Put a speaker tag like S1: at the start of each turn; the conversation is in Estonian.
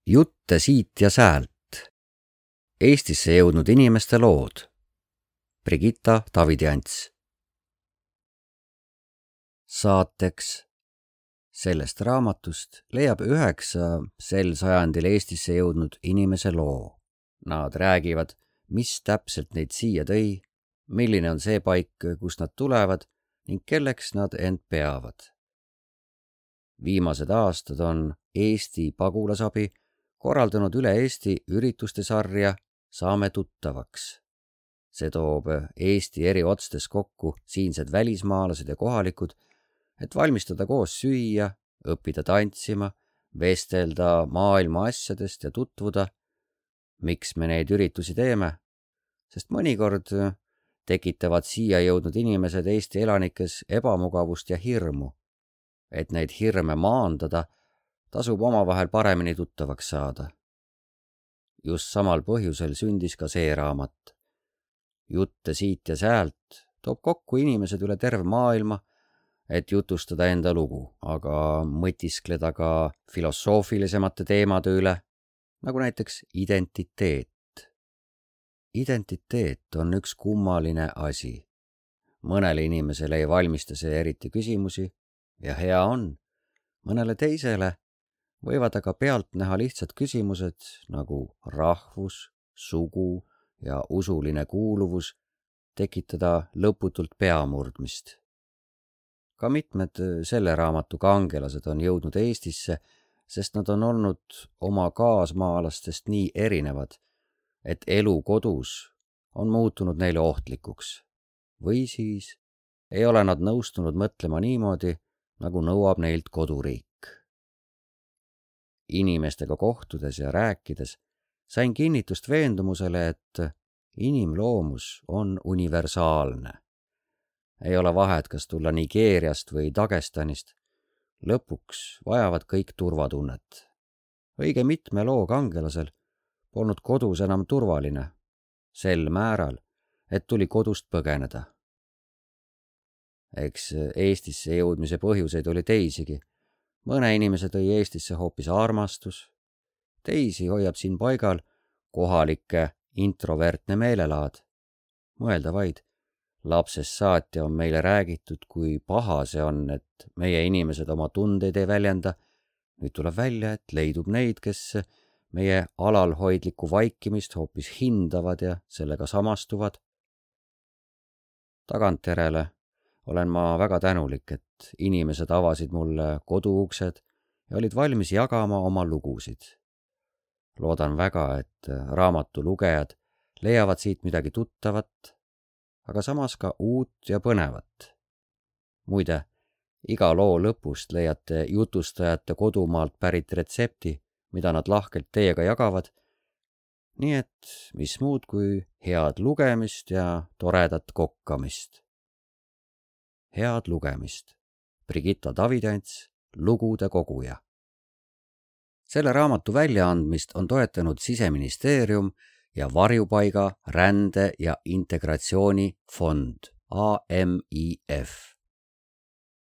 S1: Jutte siit ja säält. Eestisse jõudnud inimeste lood. Brigitta Davidjants. Saateks sellest raamatust leiab 9 sel sajandil Eestisse jõudnud inimese loo. Nad räägivad, mis täpselt neid siia tõi, milline on see paik, kust nad tulevad ning kelleks nad end peavad. Viimased aastad on Eesti pagulasabi korraldanud üle Eesti ürituste sarja Saame tuttavaks. See toob Eesti eri otstes kokku siinsed välismaalased ja kohalikud, et valmistada koos süüa, õppida tantsima, vestelda maailma asjadest ja tutvuda. Miks me neid üritusi teeme? Sest mõnikord tekitavad siia jõudnud inimesed Eesti elanikes ebamugavust ja hirmu. Et neid hirme maandada, tasub omavahel paremini tuttavaks saada. Just samal põhjusel sündis ka see raamat. Jutte siit ja säält toob kokku inimesed üle terve maailma, et jutustada enda lugu, aga mõtiskleda ka filosoofilisemate teemade üle, nagu näiteks identiteet. Identiteet on üks kummaline asi. Mõnele inimesele ei valmista see eriti küsimusi ja hea on. Mõnele teisele võivad aga pealt näha lihtsad küsimused nagu rahvus, sugu ja usuline kuuluvus tekitada lõputult peamurdmist. Ka mitmed selle raamatu kangelased on jõudnud Eestisse, sest nad on olnud oma kaasmaalastest nii erinevad, et elu kodus on muutunud neile ohtlikuks. Või siis ei ole nad nõustunud mõtlema niimoodi, nagu nõuab neilt koduriik. Inimestega kohtudes ja rääkides sain kinnitust veendumusele, et inimloomus on universaalne. Ei ole vahet, kas tulla Nigeeriast või Dagestanist. Lõpuks vajavad kõik turvatunnet. Õige mitme loo kangelasel polnud kodus enam turvaline, sel määral, et tuli kodust põgeneda. Eks Eestisse jõudmise põhjuseid oli teisigi. Mõne inimese tõi Eestisse hoopis armastus, teisi hoiab siin paigal kohalike introvertne meelelaad. Mõelda vaid, lapsest saati on meile räägitud, kui paha see on, et meie inimesed oma tundeid ei väljenda. Nüüd tuleb välja, et leidub neid, kes meie alalhoidlikku vaikimist hoopis hindavad ja sellega samastuvad. Tagantjärele olen ma väga tänulik, et inimesed avasid mulle koduuksed ja olid valmis jagama oma lugusid. Loodan väga, et raamatu lugejad leiavad siit midagi tuttavat, aga samas ka uut ja põnevat. Muide, iga loo lõpust leiate jutustajate kodumaalt pärit retsepti, mida nad lahkelt teiega jagavad, nii et mis muud kui head lugemist ja toredat kokkamist. Head lugemist. Brigitta Davidjants, lugude koguja. Selle raamatu väljaandmist on toetanud Siseministeerium ja Varjupaiga, rände ja integratsiooni fond AMIF.